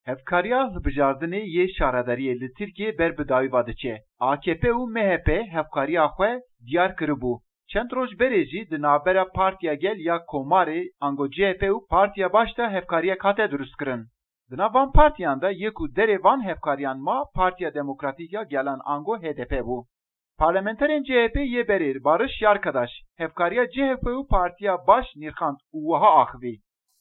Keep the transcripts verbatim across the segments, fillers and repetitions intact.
Hevkariya hilbijardinê yê şaredariyê li Tirkiyê ber bi dawî ve diçe. A K P û M H P hevkariya xwe diyar kiribû. Çend roj berê jî di navbera Partiya Gel ya Komarê ango C H P û Partiya Baş de hevkariyek hate dirustkirin. Di nav van partiyan de yê ku derê van hevkariyan ma Partiya Demokratîk ya Gelan ango H D P bû. Parlamenterên C H P yê berêr Barış Yarkadaş hevkariya C H P û Partiya Baş nirxand û wiha axivî.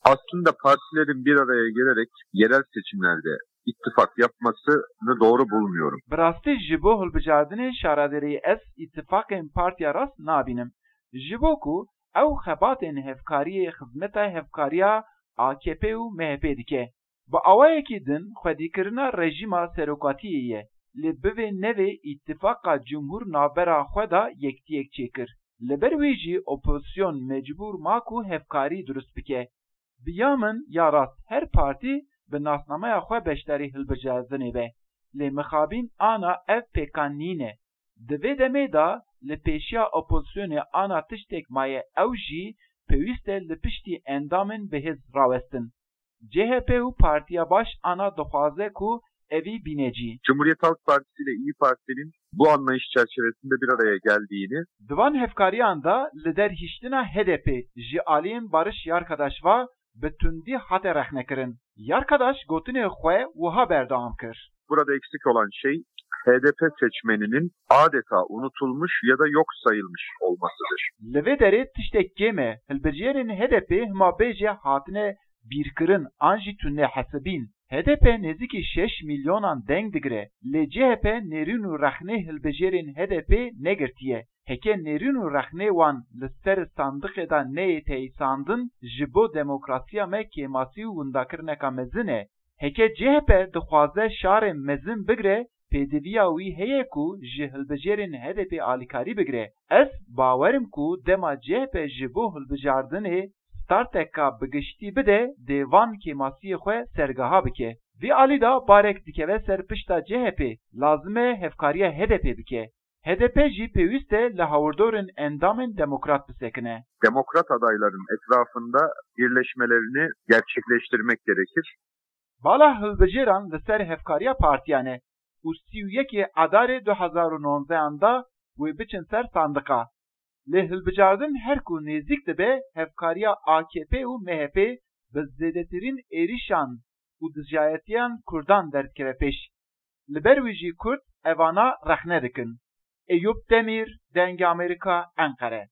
Aslında partilerin bir araya gelerek yerel seçimlerde ittifak yapmasını doğru bulmuyorum. Bi rastî ji bo hilbijardinê şaredariyê ez îtifaqên Partiya Rast nabînim. Ji bo ku ew xebatên hevkariyê xizmeta hevkariya A K P û M H P dike. Bi awayekî din xwedîkirina rejîma serokatiyê ye, lê bivê nevê îtifaqa cumhur navbera xwe de yektiyek çêkir. Li ber wî jî opozîsyon mecbûr ma ku hevkarî dirust bike. Bi ya min ya rast her partî bi nasnameya xwe beşdarî hilbijartinê be, lê mixabîn ana ev pêkan nîne. Di vê demê de li pêşiya opozîsyonê ana tiştek maye ew jî pêwîst e li piştî endamên bi hêz rawestin. C H P û Partiya Baş ana dixwaze ku evî bîne cî. Cumhuriyet Halk Partisi ile İYİ Parti'nin bu anlayış çerçevesinde bir araya geldiğini, Di van hevkariyan de li derhiştina H D P ji aliyên Barış Yarkadaş ve bi tundî hate rexnekirin. Yarkadaş gotinê xwe wiha berdewam kir. Burada eksik olan şey H D P seçmeninin adeta unutulmuş ya da yok sayılmış olmasıdır. Li vê derê tiştek kêm e, hilbijêrên H D P hima bêje hatine bîrkirin an jî tune hesibîn. H D P nêzîkî şeş milyonan deng digire, lê C H P nêrîn û rexnê hilbijêrên H D P negirtiye. Heke nêrîn û rexnê wan li ser sandiqê de neyê teyîsandin, ji bo demokrasiya me kêmasî û windakirineka mezin e. Heke C H P dixwaze şarê mezin bigire, pêdiviya wî heye ku ji hilbijêrên H D P alîkarî bigire. Ez bawer im ku dema C H P ji bo hilbijardinê starteka bi giştî bide, dê van kêmasiyê xwe sergeha bike. Vî alî de barek dikeve ser pişta C H P, lazim e hevkariya H D P bike. H D P jî pêwîst e li hawirdorên endamên demokrat bisekine. Demokrat adayların etrafında birleşmelerini gerçekleştirmek gerekir. Bala hilbijêran li ser hevkariya partiyan e û sî û yekê Adarê du hezar û nonzehan de wê biçin ser sandiqa. Lê hilbijardin her ku nêzîk dibe, hevkariya A K P û M H P bi zêdetirîn êrîşan û dijayetiyan Kurdan derdikeve pêş. Li ber wî jî Kurd evana rexne dikin. Eyûp Demîr, Dengê Amerîka, Enqere.